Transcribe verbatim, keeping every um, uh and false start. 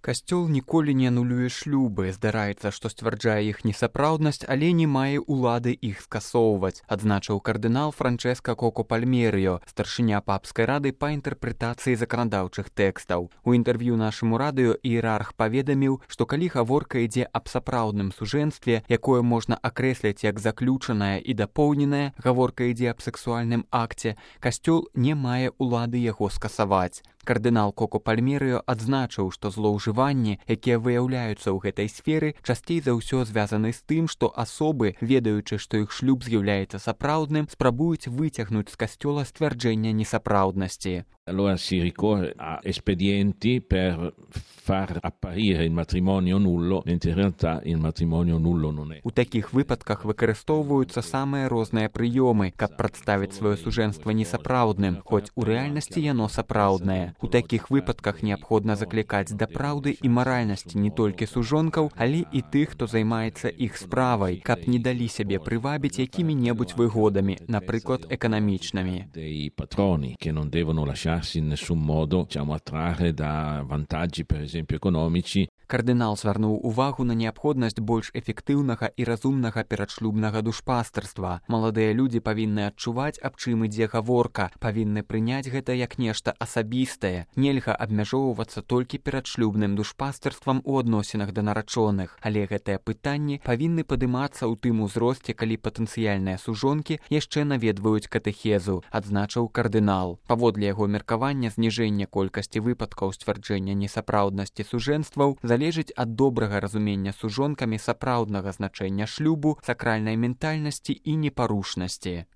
Касцёл ніколі не анулюе шлюбы, здараецца, што сцвярджае іх несапраўднасць, але не мае ўлады іх скасоўваць, адзначыў кардынал Франчэска Коко Пальмерыё, старшыня папскай рады па інтэрпрэтацыі заканадаўчых тэкстаў. У інтэрв'ю нашаму радыё іерарх паведаміў, што калі гаворка ідзе аб сапраўдным сужэнстве, якое можна акрэсліць як заключанае і дапоўненае, гаворка ідзе аб сэксуальным акце, касцёл не мае ўлады яго скасаваць. Кардынал Коко Пальмерыё адзначыў, што злоўжыванні, якія выяўляюцца ў гэтай сферы, часцей за ўсё звязаны з тым, што асобы, ведаючы, што іх шлюб з'яўляецца сапраўдным, спрабуюць выцягнуць з касцёла сцвярджэння несапраўднасці. Allora si ricorre a espedienti per far apparire il matrimonio nullo, mentre in realtà il matrimonio nullo non è. У такіх выпадках выкарыстоўваюцца самыя розныя прыёмы, каб прадставіць сваё сужэнства несапраўдным, хоць у рэальнасці яно сапраўднае. У такіх выпадках неабходна заклікаць да праўды і маральнасці не толькі сужонкаў, але і тых, хто займаецца іх справай, каб не далі сябе прывабіць якімі-небудзь выгодамі, напрыклад, эканамічнымі. Dei patroni che non devono lasciarsi in nessun modo, diciamo, attrarre da vantaggi, per esempio, economici. Кардынал звярнуў увагу на неабходнасць больш эфектыўнага і разумнага перадшлюбнага душпастарства. Маладыя людзі павінны адчуваць, аб чым ідзе гаворка, павінны прыняць гэта як нешта асабістае. Нельга абмяжоўвацца толькі перадшлюбным душпастарствам у адносінах да нарачоных, але гэтыя пытанні павінны падымацца ў тым узросце, калі патэнцыяльныя сужонкі яшчэ наведваюць катэхезу, адзначыў кардынал. Паводле яго меркавання, зніжэнне колькасці выпадкаў сцвярджэння несапраўднасці сужэнстваў залежыць ад добрага разумення сужонкамі сапраўднага значэння шлюбу, сакральнай ментальнасці і непарушнасці.